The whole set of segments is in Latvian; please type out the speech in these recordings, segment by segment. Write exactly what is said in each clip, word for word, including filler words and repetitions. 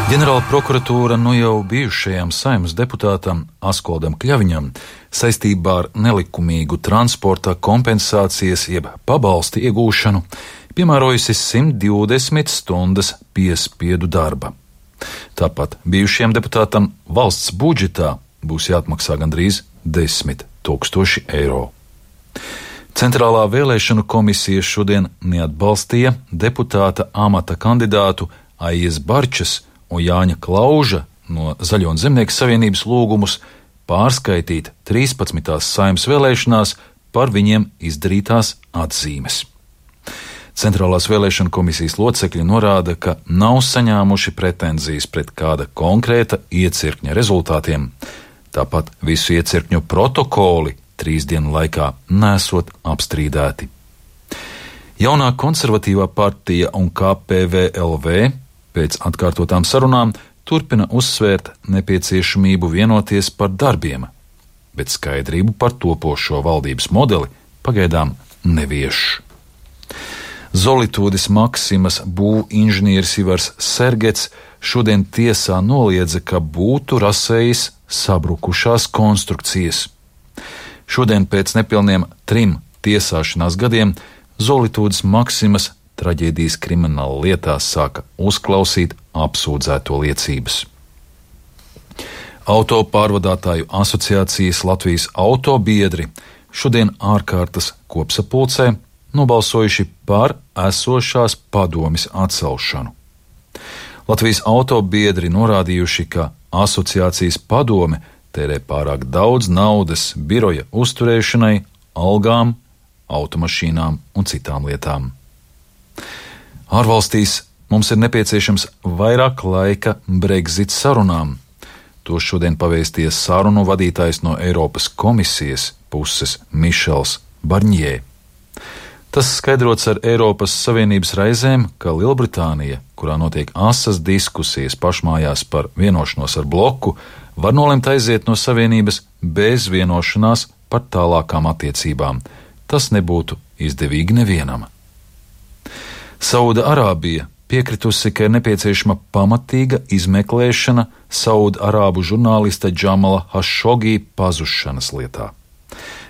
Ģenerāla prokuratūra nu jau bijušajam Saeimas deputātam Askoldam Kļaviņam saistībā ar nelikumīgu transporta kompensācijas jeb pabalstu iegūšanu piemērojusi simt divdesmit stundas piespiedu darba. Tāpat bijušajam deputātam valsts budžetā būs jāatmaksā gandrīz desmit tūkstoši eiro. Centrālā vēlēšanu komisija šodien neatbalstīja deputāta amata kandidātu Aijas Barčas un Jāņa Klauža no Zaļo un Zemnieku savienības lūgumus pārskaitīt trīspadsmitās Saeimas vēlēšanās par viņiem izdarītās atzīmes. Centrālās vēlēšanu komisijas locekļi norāda, ka nav saņēmuši pretenzijas pret kāda konkrēta iecirkņa rezultātiem. Tāpat visu iecirkņu protokoli trīs dienu laikā nesot apstrīdēti. Jaunā konservatīvā partija un K P V L V pēc atkārtotām sarunām turpina uzsvērt nepieciešamību vienoties par darbiem, bet skaidrību par topošo valdības modeli pagaidām nevieš. Zolitūdes Maksimas būvinženieris Ivars Sergets šodien tiesā noliedza, ka būtu rasējis sabrukušās konstrukcijas. Šodien pēc nepilniem trim tiesāšanās gadiem Zolitūdes Maksimas traģēdijas krimināla lietās sāka uzklausīt apsūdzēto liecības. Autopārvadātāju asociācijas Latvijas autobiedri šodien ārkārtas kopsapulcē nobalsojuši par esošās padomes atcelšanu. Latvijas autobiedri norādījuši, ka asociācijas padome tērē pārāk daudz naudas biroja uzturēšanai, algām, automašīnām un citām lietām. Ārvalstīs mums ir nepieciešams vairāk laika Brexit sarunām. To šodien pavēstīja sarunu vadītājs no Eiropas komisijas puses Mišels Barņē. Tas skaidrots ar Eiropas Savienības raizēm, ka Lielbritānija, kurā notiek asas diskusijas pašmājās par vienošanos ar bloku, var nolemt aiziet no Savienības bez vienošanās par tālākām attiecībām. Tas nebūtu izdevīgi nevienam. Sauda Arābija piekritusi, ka ir nepieciešama pamatīga izmeklēšana Sauda Arābu žurnālista Džamala Hašogī pazušanas lietā.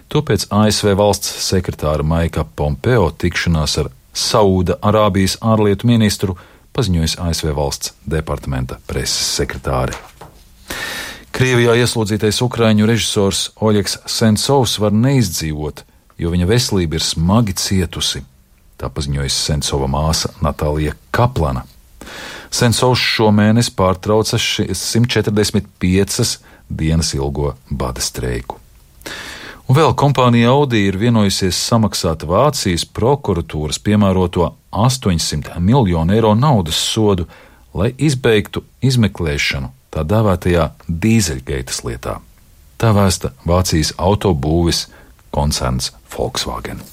To pēc A S V valsts sekretāra Maika Pompeo tikšanās ar Sauda Arābijas ārlietu ministru paziņojas A S V valsts departamenta preses sekretāre. Krievijā ieslodzītais ukraiņu režisors Oļegs Sensovs var neizdzīvot, jo viņa veselība ir smagi cietusi. Tā paziņojas Sensova māsa Natālija Kaplana. Sensovs šomēnes pārtrauca simt četrdesmit piecas dienas ilgo bada streiku. Un vēl kompānija Audi ir vienojusies samaksāt Vācijas prokuratūras piemēroto astoņsimt miljonu eiro naudas sodu, lai izbeigtu izmeklēšanu tā dēvētajā dīzeļgeitas lietā. Tā vēsta Vācijas autobūves koncerns Volkswagen.